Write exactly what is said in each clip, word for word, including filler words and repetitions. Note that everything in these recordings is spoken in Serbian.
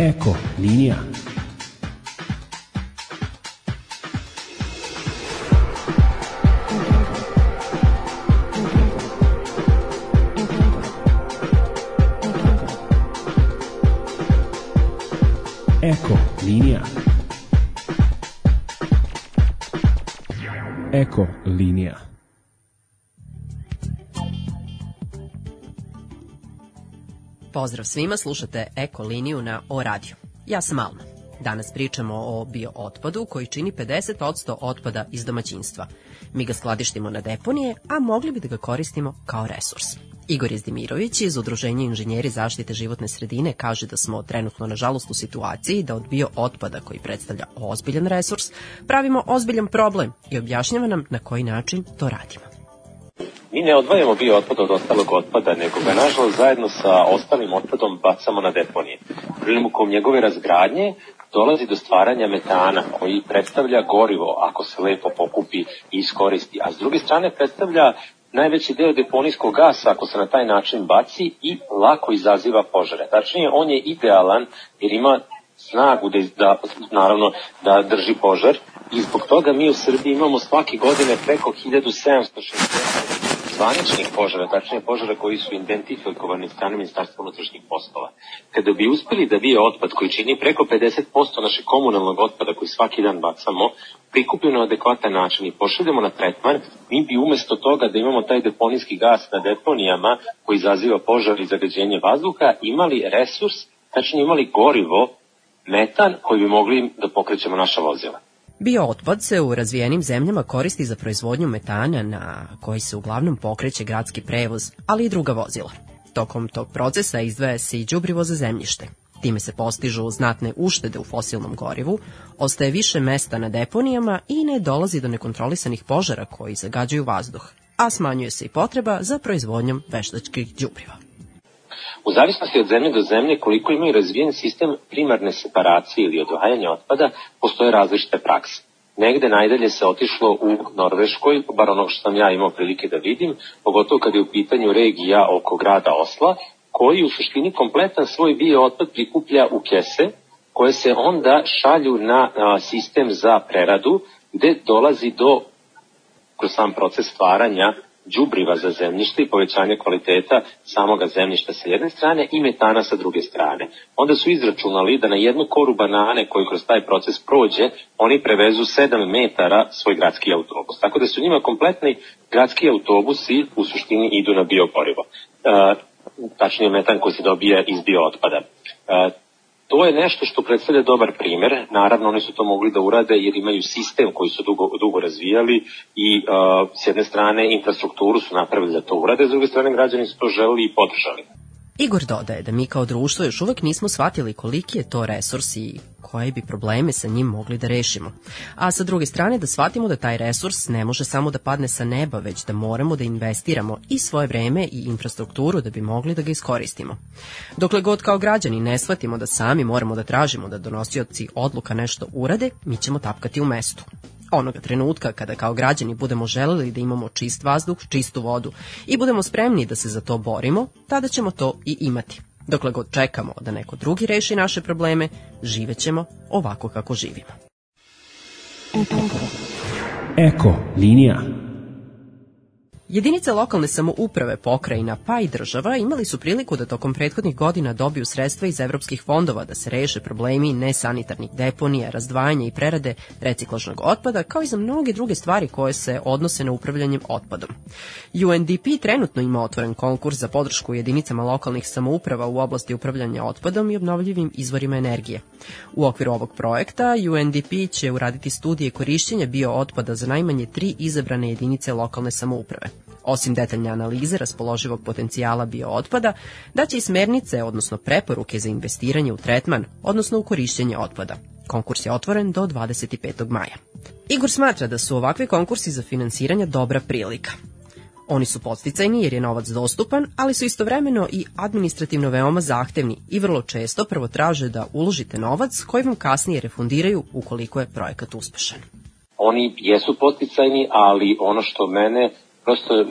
Eko linija. Eko linija. Eko linija. Pozdrav svima, slušate Eko liniju na O radiju. Ja sam Alma. Danas pričamo o biootpadu koji čini pedeset posto otpada iz domaćinstva. Mi ga skladištimo na deponije, a mogli bi da ga koristimo kao resurs. Igor Jezdimirović iz Udruženja inženjeri zaštite životne sredine kaže da smo trenutno nažalost u situaciji da od biootpada koji predstavlja ozbiljan resurs pravimo ozbiljan problem i objašnjava nam na koji način to radimo. Mi ne odvajamo biootpad od ostalog otpada, nego ga nažalost zajedno sa ostalim otpadom bacamo na deponije. Prilikom njegove razgradnje dolazi do stvaranja metana koji predstavlja gorivo ako se lepo pokupi i iskoristi, a s druge strane predstavlja najveći deo deponijskog gasa ako se na taj način baci i lako izaziva požare. Tačnije, on je idealan jer ima snagu da, da, naravno, da drži požar i zbog toga mi u Srbiji imamo svake godine preko hiljadu sedamsto šezdeset zvaničnih požara, tačnije požara koji su identifikovani od strane Ministarstva unutrašnjih poslova. Kada bi uspeli da biootpad koji čini preko pedeset posto našeg komunalnog otpada koji svaki dan bacamo, prikupimo na adekvatan način i pošaljemo na tretman, mi bi umesto toga da imamo taj deponijski gas na deponijama koji izaziva požar i zagađenje vazduha, imali resurs, tačnije imali gorivo, metan koji bi mogli da pokrećemo naša vozila. Biootpad se u razvijenim zemljama koristi za proizvodnju metana na koji se uglavnom pokreće gradski prevoz, ali i druga vozila. Tokom tog procesa izdvaja se i đubrivo za zemljište. Time se postižu znatne uštede u fosilnom gorivu, ostaje više mesta na deponijama i ne dolazi do nekontrolisanih požara koji zagađuju vazduh, a smanjuje se i potreba za proizvodnjom veštačkih đubriva. U zavisnosti od zemlje do zemlje, koliko imaju razvijen sistem primarne separacije ili odvajanja otpada, postoje različite prakse. Negde najdalje se otišlo u Norveškoj, bar ono što sam ja imao prilike da vidim, pogotovo kad je u pitanju regija oko grada Osla, koji u suštini kompletan svoj biootpad prikuplja u kese, koje se onda šalju na a, sistem za preradu, gde dolazi do, kroz sam proces stvaranja, đubriva za zemljište i povećanje kvaliteta samoga zemljišta sa jedne strane i metana sa druge strane. Onda su izračunali da na jednu koru banane koji kroz taj proces prođe, oni prevezu sedam metara svoj gradski autobus. Tako da su njima kompletni gradski autobusi u suštini idu na biogorivo. E, tačnije metan koji se dobija iz biootpada. E, To je nešto što predstavlja dobar primer. Naravno, oni su to mogli da urade jer imaju sistem koji su dugo, dugo razvijali i uh, s jedne strane infrastrukturu su napravili da to urade, s druge strane građani su to želeli i podržali. Igor dodaje da mi kao društvo još uvek nismo shvatili koliki je to resurs i koje bi probleme sa njim mogli da rešimo. A sa druge strane da shvatimo da taj resurs ne može samo da padne sa neba, već da moramo da investiramo i svoje vreme i infrastrukturu da bi mogli da ga iskoristimo. Dokle god kao građani ne shvatimo da sami moramo da tražimo da donosioci odluka nešto urade, mi ćemo tapkati u mestu. Onoga trenutka kada kao građani budemo želeli da imamo čist vazduh, čistu vodu i budemo spremni da se za to borimo, tada ćemo to i imati. Dokle god čekamo da neko drugi reši naše probleme, živećemo ovako kako živimo. Eko linija. Jedinice lokalne samouprave, pokrajina pa i država imali su priliku da tokom prethodnih godina dobiju sredstva iz evropskih fondova da se reše problemi nesanitarnih deponija, razdvajanja i prerade reciklažnog otpada, kao i za mnoge druge stvari koje se odnose na upravljanjem otpadom. U N D P trenutno ima otvoren konkurs za podršku jedinicama lokalnih samouprava u oblasti upravljanja otpadom i obnovljivim izvorima energije. U okviru ovog projekta U N D P će uraditi studije korišćenja biootpada za najmanje tri izabrane jedinice lokalne samouprave. Osim detaljne analize raspoloživog potencijala biootpada, daće i smernice, odnosno preporuke za investiranje u tretman, odnosno u korišćenje otpada. Konkurs je otvoren do dvadeset petog maja. Igor smatra da su ovakvi konkursi za finansiranje dobra prilika. Oni su podsticajni jer je novac dostupan, ali su istovremeno i administrativno veoma zahtevni i vrlo često prvo traže da uložite novac koji vam kasnije refundiraju ukoliko je projekat uspešan. Oni jesu podsticajni, ali ono što mene prosto,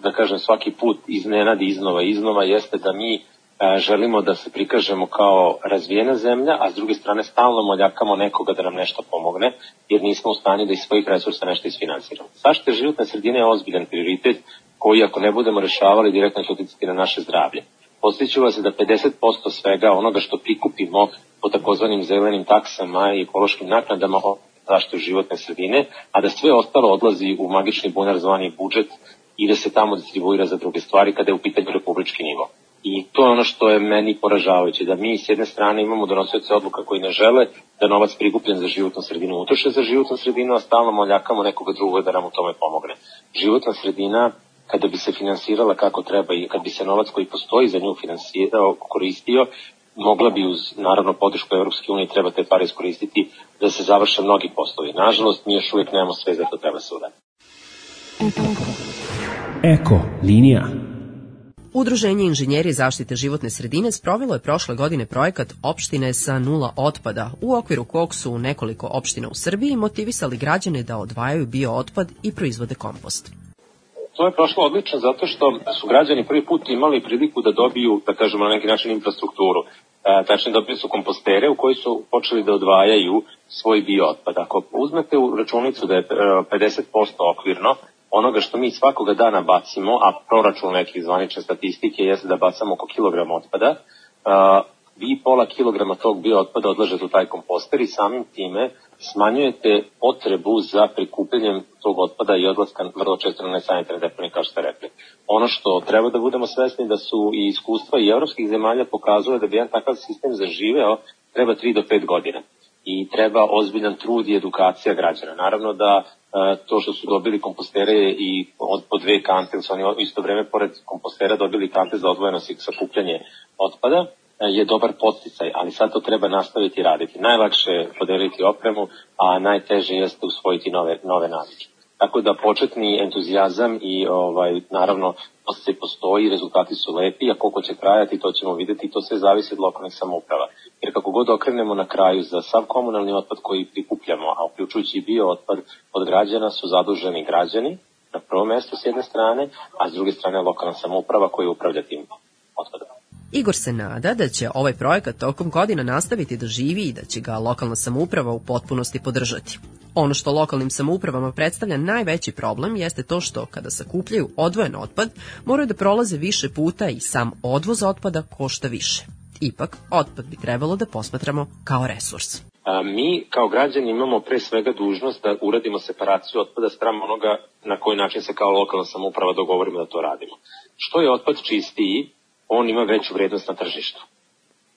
da kažem, svaki put iznenadi iznova i iznova jeste da mi želimo da se prikažemo kao razvijena zemlja, a s druge strane stalno moljakamo nekoga da nam nešto pomogne, jer nismo u stanju da iz svojih resursa nešto isfinansiramo. Zaštita životne sredine je ozbiljan prioritet koji ako ne budemo rešavali direktno će uticati na naše zdravlje. Podsjeću vas da pedeset posto svega onoga što prikupimo po takozvanim zelenim taksama i ekološkim naknadama o zaštitu životne sredine, a da sve ostalo odlazi u magični bunar zvani budžet i da se tamo distribuira za druge stvari kada je u pitanju republički nivo. I to je ono što je meni poražavajuće, da mi s jedne strane imamo donosioce odluka koji ne žele da novac prikupljen za životnu sredinu utroše za životnu sredinu, a stalno moljakamo nekoga drugog da nam u tome pomogne. Životna sredina, kada bi se finansirala kako treba i kad bi se novac koji postoji za nju finansirao, koristio, mogla bi uz naravno podršku Evropske unije treba te pare iskoristiti da se završe mnogi poslovi. Nažalost, mi još uvijek nemamo sve za to treba se uraditi. Eko linija. Udruženje inženjeri zaštite životne sredine sprovelo je prošle godine projekat Opštine sa nula otpada, u okviru kog su nekoliko opština u Srbiji motivisali građane da odvajaju biootpad i proizvode kompost. To je prošlo odlično zato što su građani prvi put imali priliku da dobiju, da kažemo na neki način, infrastrukturu. E, tačnije dobili su kompostere u koji su počeli da odvajaju svoj biootpad. Ako uzmete u računicu da je pedeset posto okvirno onoga što mi svakoga dana bacimo, a proračun nekih zvanične statistike jeste da bacamo oko kilogram otpada, a, vi pola kilograma tog biootpada odlažete u taj komposter i samim time smanjujete potrebu za prikupljanjem tog otpada i odlaska vrlo često na nesanitarne deponije, kao što ste rekli. Ono što treba da budemo svesni da su i iskustva i evropskih zemalja pokazuje da bi jedan takav sistem zaživeo treba tri do pet godina. I treba ozbiljan trud i edukacija građana. Naravno da e, to što su dobili kompostere i od po dve kante, su oni isto vreme pored kompostera dobili kante za odvojeno sakupljanje otpada, e, je dobar podsticaj, ali sad to treba nastaviti raditi. Najlakše je podeliti opremu, a najteže jeste usvojiti nove, nove navike. Tako da početni entuzijazam i ovaj, naravno podsticaj postoji, rezultati su lepi, a koliko će trajati to ćemo videti i to sve zavisi od lokalnih samouprava. Jer kako god okrenemo na kraju za sav komunalni otpad koji prikupljamo, a uključujući i bio otpad od građana su zaduženi građani na prvom mestu s jedne strane, a s druge strane lokalna samouprava koja upravlja tim otpadom. Igor se nada da će ovaj projekat tokom godina nastaviti da živi i da će ga lokalna samouprava u potpunosti podržati. Ono što lokalnim samoupravama predstavlja najveći problem jeste to što kada sakupljaju odvojen otpad moraju da prolaze više puta i sam odvoz otpada košta više. Ipak, otpad bi trebalo da posmatramo kao resurs. A, mi kao građani imamo pre svega dužnost da uradimo separaciju otpada spram onoga na koji način se kao lokalna samouprava dogovorimo da to radimo. Što je otpad čistiji, on ima veću vrednost na tržištu.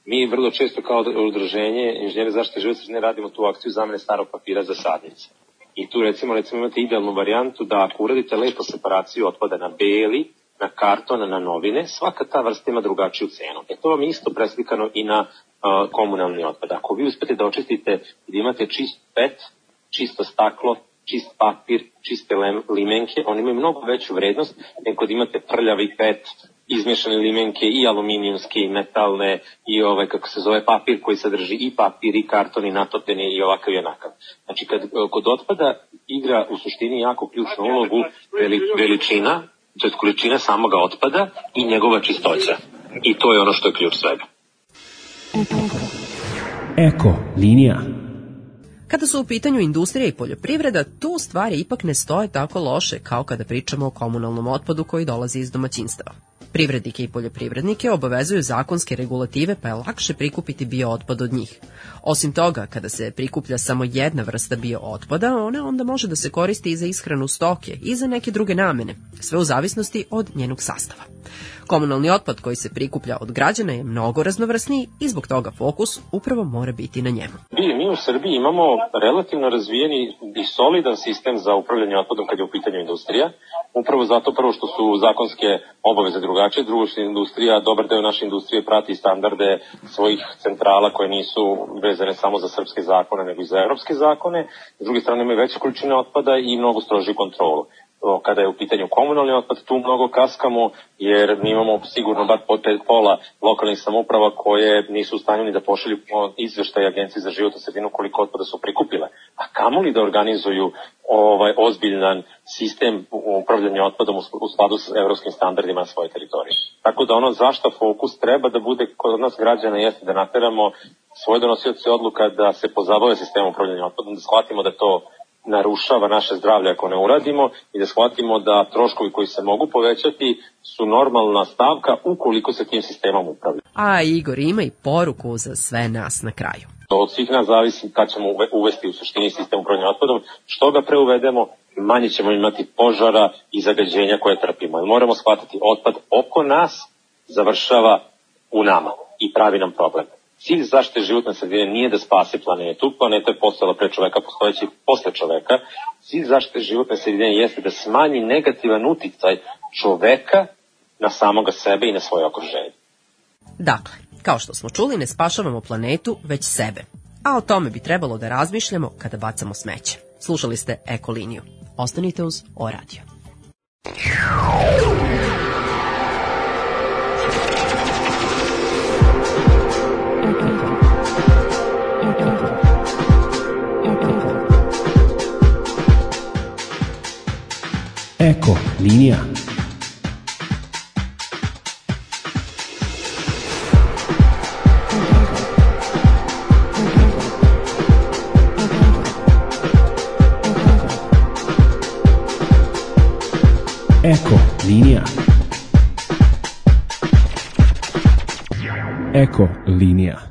Mi vrlo često kao udruženje inženjeri zaštite životne sredine radimo tu akciju zamene starog papira za sadnice. I tu recimo, recimo imate idealnu varijantu da ako uradite lepo separaciju otpada na beli, na karton, na novine, svaka ta vrsta ima drugačiju cenu. E to vam je isto preslikano i na uh, komunalni otpad. Ako vi uspete da očistite i da imate čist pet, čisto staklo, čist papir, čiste limenke, oni imaju mnogo veću vrednost nego da imate prljavi pet, izmješane limenke i aluminijumske i metalne i ovaj kako se zove papir koji sadrži i papir i karton i natopljeni i ovakav i onakav. Znači kad kod otpada igra u suštini jako ključnu ulogu veli, veličina, to je količina samoga otpada i njegova čistoća. I to je ono što je ključ svega. Eko linija. Kada su u pitanju industrija i poljoprivreda, tu stvari ipak ne stoje tako loše kao kada pričamo o komunalnom otpadu koji dolazi iz domaćinstava. Privrednike i poljoprivrednike obavezuju zakonske regulative pa je lakše prikupiti biootpad od njih. Osim toga, kada se prikuplja samo jedna vrsta biootpada, ona onda može da se koristi i za ishranu stoke i za neke druge namene, sve u zavisnosti od njenog sastava. Komunalni otpad koji se prikuplja od građana je mnogo raznovrsniji i zbog toga fokus upravo mora biti na njemu. Mi u Srbiji imamo relativno razvijeni i solidan sistem za upravljanje otpadom kad je u pitanju industrija. Upravo zato prvo što su zakonske obaveze drugačije, drugo što industrija, dobar deo naše industrije prati standarde svojih centrala koje nisu vezane samo za srpske zakone nego i za evropske zakone. S druge strane imaju veće količine otpada i mnogo strožiju kontrolu. Kada je u pitanju komunalni otpad, tu mnogo kaskamo, jer mi imamo sigurno bar pola lokalnih samouprava koje nisu u stanju ni da pošalju izveštaj Agenciji za životnu sredinu koliko otpada su prikupile. A kamoli da organizuju ovaj ozbiljan sistem upravljanje otpadom u skladu s evropskim standardima na svojoj teritoriji. Tako da ono zašto fokus treba da bude kod nas građana jeste da nateramo svoje donosioce odluka da se pozabave sistemom upravljanja otpadom, da shvatimo da to narušava naše zdravlje ako ne uradimo i da shvatimo da troškovi koji se mogu povećati su normalna stavka ukoliko se tim sistemom upravlja. A Igor ima i poruku za sve nas na kraju. Od svih nas zavisi kad ćemo uvesti u suštini sistem upravljanja otpadom. Što ga preuvedemo, manje ćemo imati požara i zagađenja koje trpimo. Moramo shvatiti, otpad oko nas završava u nama i pravi nam problem. Cilj zaštite životne sredine nije da spase planetu, planeta je postojala pre čoveka, postojeći posle čoveka. Cilj zaštite životne sredine jeste da smanji negativan uticaj čoveka na samoga sebe i na svoje okruženje. Dakle, kao što smo čuli, ne spašavamo planetu, već sebe. A o tome bi trebalo da razmišljamo kada bacamo smeće. Slušali ste Ekoliniju. Ostanite uz O Radio. Eko linija. Eko linija. Eko linija.